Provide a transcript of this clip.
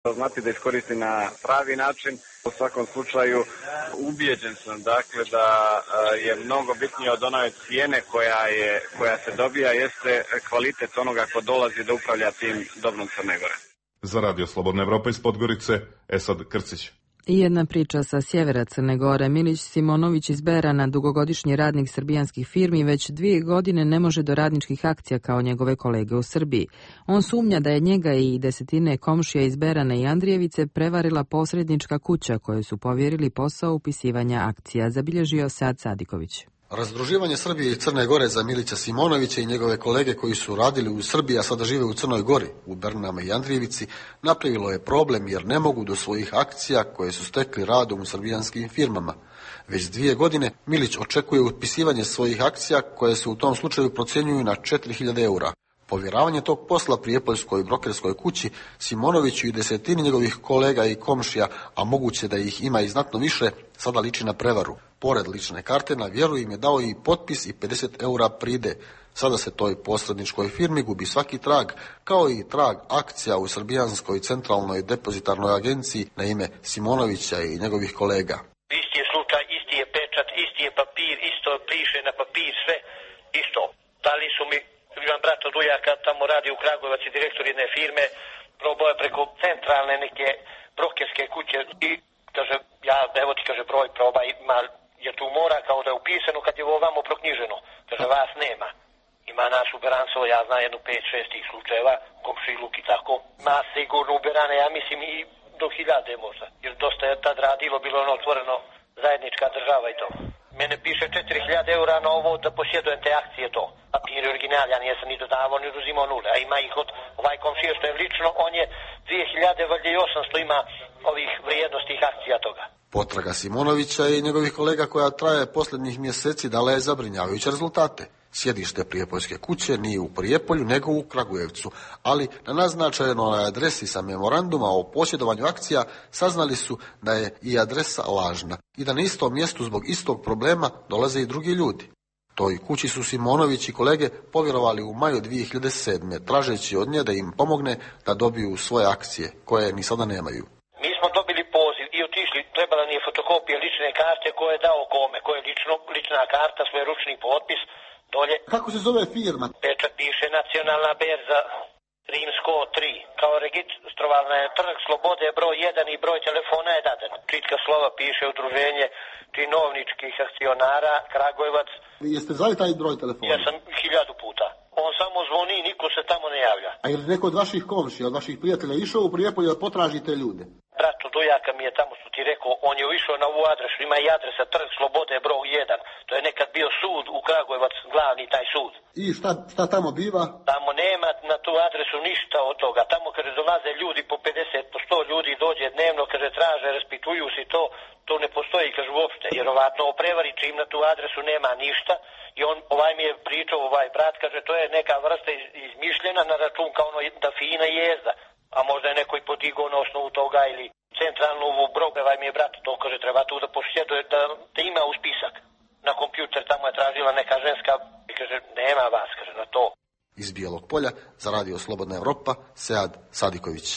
znati da iskoristi na pravi način. U svakom slučaju ubijeđen sam dakle da je mnogo bitnije od one cijene koja se dobija jeste kvalitet onoga ko dolazi da upravlja tim dobrom Crne Gore. Za Radio Slobodna Evropa iz Podgorice, Esad Krcić. I jedna priča sa sjevera Crne Gore. Milić Simonović iz Berana, dugogodišnji radnik srbijanskih firmi, već 2 godine ne može do radničkih akcija kao njegove kolege u Srbiji. On sumnja da je njega i desetine komšija iz Berana i Andrijevice prevarila posrednička kuća koju su povjerili posao upisivanja akcija, zabilježio Sead Sadiković. Razdruživanje Srbije i Crne Gore za Milića Simonovića i njegove kolege koji su radili u Srbiji, a sada žive u Crnoj Gori, u Bernama i Andrijevici, napravilo je problem jer ne mogu do svojih akcija koje su stekli radom u srbijanskim firmama. Već 2 godine Milić očekuje upisivanje svojih akcija koje se u tom slučaju procjenjuju na 4.000 eura. Povjeravanje tog posla prijepoljskoj brokerskoj kući Simonoviću i desetini njegovih kolega i komšija, a moguće da ih ima i znatno više, sada liči na prevaru. Pored lične karte na vjeru im je dao i potpis i 50 eura pride. Sada se toj posredničkoj firmi gubi svaki trag, kao i trag akcija u Srbijanskoj centralnoj depozitarnoj agenciji na ime Simonovića i njegovih kolega. Isti je slučaj, isti je pečat, isti je papir, isto piše na papir, sve isto. Dali su mi, imam brata Dujaka, tamo radi u Kragujevac i direktor jedne firme, probao je preko centralne neke brokerske kuće i kaže, ja, evo ti kaže broj, probaj, ima, jer tu mora kao da je upisano kad je ovo ovamo proknjiženo. Kaže, vas nema. Ima nas u Berancovo, ja znam jednu 5-6 tih slučajeva, komšiluk i tako. Ma sigurno u Berane, ja mislim i do 1000 možda. Jer dosta je tad radilo, bilo ono otvoreno zajednička država i to. Mene piše 4.000 eura na ovo da posjedujem te akcije to. Papir je original, ja nijesam ni dodavao ni uzimao nule. A ima ih od ovaj komšija što je lično, on je 2.000, valjda i 800 ima ovih vrijednostih akcija toga. Potraga Simonovića i njegovih kolega koja traje posljednjih mjeseci dala je zabrinjavajuće rezultate. Sjedište prijepoljske kuće nije u Prijepolju nego u Kragujevcu, ali na naznačenoj adresi sa memoranduma o posjedovanju akcija saznali su da je i adresa lažna i da na istom mjestu zbog istog problema dolaze i drugi ljudi. Toj kući su Simonović i kolege povjerovali u maju 2007. tražeći od nje da im pomogne da dobiju svoje akcije, koje ni sada nemaju. Mi smo dobili poziv i otišli, trebala nije fotokopija lične karte koje je dao kome, koje je lična karta, svoj ručni potpis, dolje. Kako se zove firma? Pečat piše Nacionalna berza Rimsko 3. Kao registrovana je Trg Slobode broj 1 i broj telefona je dadan. Čitka slova piše udruženje činovničkih akcionara Kragujevac. Jeste zvali taj broj telefona? Ja sam 1000 puta. On samo zvoni, niko se tamo ne javlja. A je li neko od vaših komšija, od vaših prijatelja išao u Prijepolje da potražite ljude? Bratu Dujaka mi je tamo što ti rekao, on je išao na ovu adresu, ima i adresa Trg Slobode broj 1. To je nekad bio sud u Kragujevac, glavni taj sud. I šta tamo biva? Tamo nema na tu adresu ništa od toga. Tamo kaže dolaze ljudi po 50, po 100 ljudi dođe dnevno, kaže traže, raspituju si to ne postoji, kaže uopšte. Vjerovatno o prevari čim na tu adresu nema ništa. I on, ovaj mi je pričao, ovaj brat, kaže to je neka vrsta izmišljena na račun kao ono da fina jezda. A možda je neko i podigao na osnovu toga ili centralnu brog, ovaj mi je brat, to kaže treba tu da posjeduje, da ima u spisak. Na kompjuter tamo je tražila neka ženska i kaže nema vas, kaže na to. Iz Bijelog Polja za Radio Slobodna Evropa, Sead Sadiković.